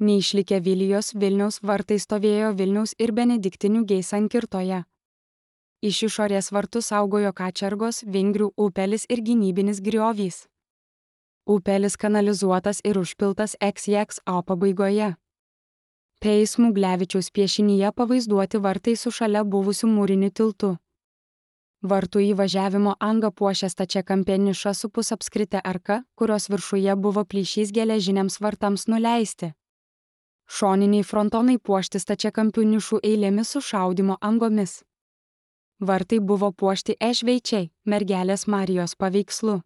Neišlikę Vilijos Vilniaus vartai stovėjo Vilniaus ir Benediktinių sankirtoje. Iš išorės vartų saugojo kačergos, Vingrių upelis ir gynybinis griovys. Upelis kanalizuotas ir užpiltas XXO pabaigoje. P. Smuglevičiaus piešinyje pavaizduoti vartai su šalia buvusiu mūriniu tiltu. Vartų įvažiavimo angą puošia stačiakampė niša su pusapskrite arka, kurios viršuje buvo plyšys geležiniams vartams nuleisti. Šoniniai frontonai puošti stačiakampių nišų eilėmis su šaudymo angomis. Vartai buvo puošti ešveičiai, mergelės Marijos paveikslu.